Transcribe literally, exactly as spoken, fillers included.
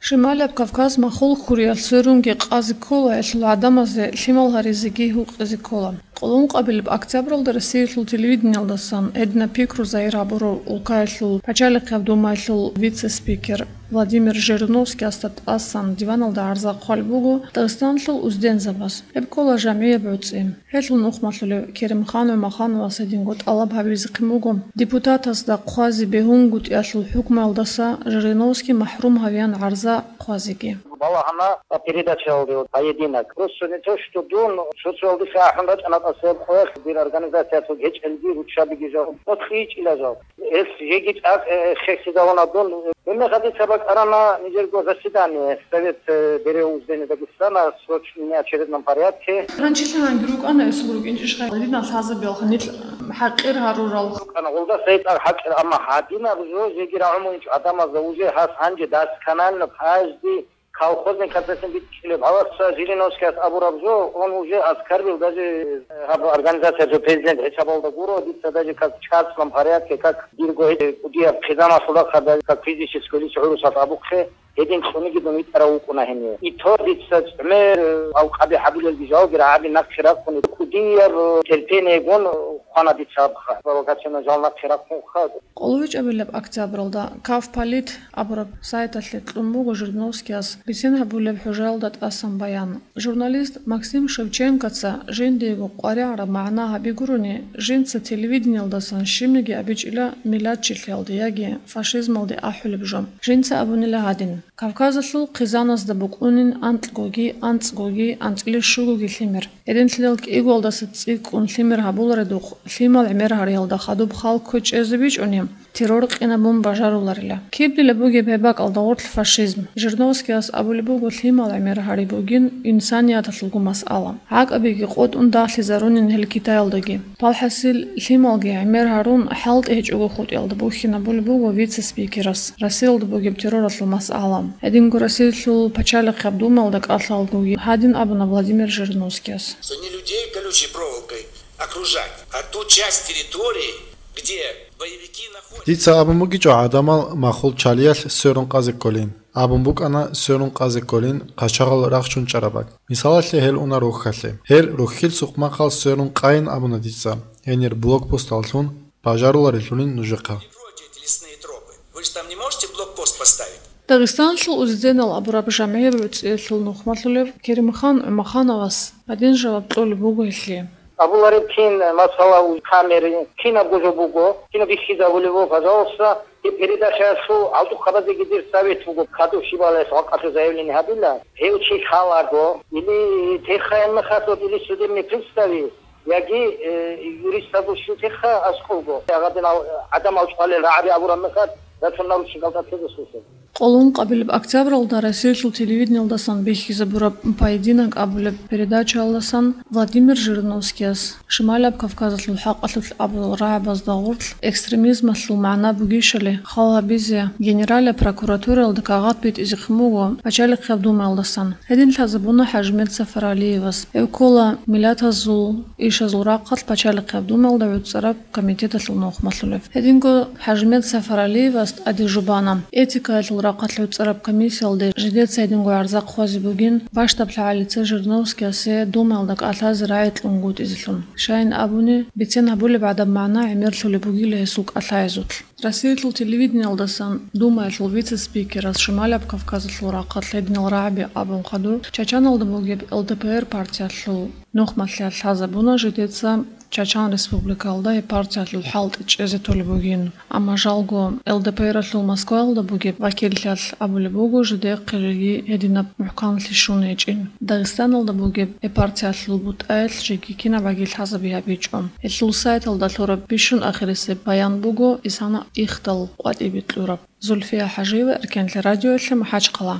Шималияб Кавказ махул хьуриялъ сверунги къазе ккола, гьелъул гӀадамазе лъимал гьаризеги гьукъизе ккола. Къоло ункъабилеб октябралда Россиялъул телевидениялдасан гьединаб пикру загьир гьабурав улкаялъул пачалихъияб думаялъул вице-спикер Владимир Жириновскиясда тӀасан диваналда гӀарза хъвалеб буго Дагъистаналъул уздензабаз. Гьеб ккола жамгӀияб гӀуцӀи. Гьелъул нухмалъулев Керимхан ГӀумахановас гьединго тӀалаб гьабизехъин буго депутатасда хъвазе бегьунгутӀиялъул хӀукмуялдаса Жириновский махӀрум гьавеян гӀарза хъвазеги. Балагьана передачаялде «Поединок». Просто не то, что дун социалдаса ахӀун рачӀана тӀаса гьеб къоялъ, дир организациялъул гьечӀелги руччабиги жал, но кьичӀила жал. Гьес жеги чӀакъ, э, хехизавуна дун. Гьебмехалъ дица бакӀарана нижерго заседание Совет, э, берев уздени Дагестана в срочном неочередном порядке. Гьанчилъанги рукӀана гьесул рукӀинчӀищха гьадинал лъазабиялха нилъ хӀакъир гьарурал. РукӀана гъолда сайтӀа хӀакъир, амма гьадинаб жо жеги рагӀумугӀинчӀо гӀадамазда уже гьас гьанже досконально каждый колхозный процессин бичӀчӀулеб. Гьаласа Жириновскияс абураб жо, он уже оскорбил даже, э, гьаб организация, жо президент хӀисабалда гуро, дица даже как в частном порядке, как дирго гьечӀеб кӀудияб хъизамалъулахъа, даже как физическое лицо гӀурусалъ абухъе, гьедин цӀуниги дун витӀарав вукӀуна гьенив. И то дица гӀемер, э, алкъаби гьабулелги жалги рагӀаби нахъе рахъуни, кӀудияб, э, терпениегун хъвана дица абха. Провокационно жал нахъе рахъунха. КъолоечӀабилеб октябралда Кавполит абураб сайталъе кьун буго Жириновскияс бицен гьабулеб хӀужаялда тӀасан баян. Журналист Максим Шевченкоца жиндиего къваригӀараб магӀна гьаби гурони, жинца телевидениялдасан щибниги абичӀила миллатчилъиялде яги фашизмалде ахӀулеб жо. Жинца абунила гьадин: Кавказалъул хъизаназда букӀунин анкьгоги, анцӀгоги, анцӀила щугоги лъимер. Гьединлъидал кӀигоялдаса цӀикӀкӀун лъимер гьабуларедухъ, лъимал гӀемер гьариялда хадуб хал кквечӀезе бичӀчӀуни, террор къинабун бажаруларила. Кибдила бугеб гьеб бакӀалда гъорлъ фашизм? Жириновскияс абулеб буго, лъимал гӀемер гьари бугин инсанияталъулго масъала. ГӀакӀабиги къотӀун дагълъизарунин гьел Китаялдаги. Палхасил лъималги гӀемер гьарун, хӀалтӀи гьечӀого хутӀиялда бухьинабулеб буго вице-спикерас Россиялда бугеб терроралъул масъала. Гьединго Россиялъул пачалихъаб думаялда кӀалъалгоги гьадин абуна Владимир Жириновскияс. Что не людей колючей проволокой окружать, а ту часть территории, где боевики находятся. Дица абун бугичӀо гӀадамал махул чалиялъ сверун къазе кколин. Абун букӀана сверун къазе кколин къачагъал рахчун чӀараб бакӀ. Мисалалъе, гьел уна рохьалъе. Гьел рохьил сукъмахъал сверун къайин абуна дица, гьенир блокпосталлъун бажаруларелъулин нужехъа. Вы же там не можете блокпост поставить? Дагъистаналъул узденал абураб жамгӀияб гӀуцӀиялъул нухмалъулев Керимхан ГӀумахановас гьадин жаваб кьолеб буго гьелъие. Абулареб кин, масала, уз камери, кинабго жо буго, кинаб бихьизабулеб буго, пожалуйста, и передачаялъул гьалдухъабазеги дир совет буго, кадур щибалаялъ гьакъалъур заявление гьабила, гьев чи лъалаго, или техаянмехалъ, или судебный приставе, яги, э, юристазул щутеха аскӀовго. Гьадинал гӀадамал чӀвалел рагӀаби абураб мехалъ, рацун наручникалда тезесулъе. Къоло ункъабилеб октябралда Россиялъул телевидениялдасан бихьизабураб «Поединок» абулеб передачаялдасан Владимир Жириновскияс Шималияб Кавказалъул хӀакъалъулъ абурал рагӀабазда гъорлъ экстремизмалъул магӀна бугищали хал гьабизе Генералияб прокуратураялда кагъат битӀизехъин буго пачалихъияб думаялдасан. Гьедин лъазабуна ХӀажимет Сафаралиевас. Гьев ккола миллатазул ишазул рахъалъ пачалихъияб думаялда гӀуцӀараб комитеталъул нухмалъулев. Гьединго ХӀажимет Сафаралиевас тӀаде жубана. Этикаялъул рахъалъ гӀуцӀараб комиссиялде жидеца гьединго гӀарза хъвазе бугин, бащдаб лъагӀалица Жириновскиясе думаялда кӀалъазе рагӀи кьунгутӀизелъун. Щайин абуни, бицен гьабулеб гӀадаб магӀна гӀемерлъулеб бугила гьесул кӀалъаязулъ. Россиялъул телевидениялдасан Думаялъул вице-спикерас Шималияб Кавказалъул рахъалъ гьединал рагӀаби абун хадур, Чачаналда бугеб Л Д П Р партиялъул нухмалъиялъ лъазабуна жидеца Чачан Республикалда гьеб партиялъул хӀалтӀи чӀезе толеб бугин. Амма жалго Л Д П Р-алъул Москваялда бугеб вакиллъиялъ абулеб буго, жидехъе жеги гьединаб мухӀканлъи щун гьечӀин. Дагъистаналда бугеб гьеб партиялъул бутӀаялъ жеги кинаб гӀаги лъазаби гьабичӀо. Гьелъул сайталда лъураб бищун ахирисеб баян буго исана ихдал къватӀибе кьураб. Зульфия ХӀажиева, Эркенлъи радиоялъе, МахӀачхъала.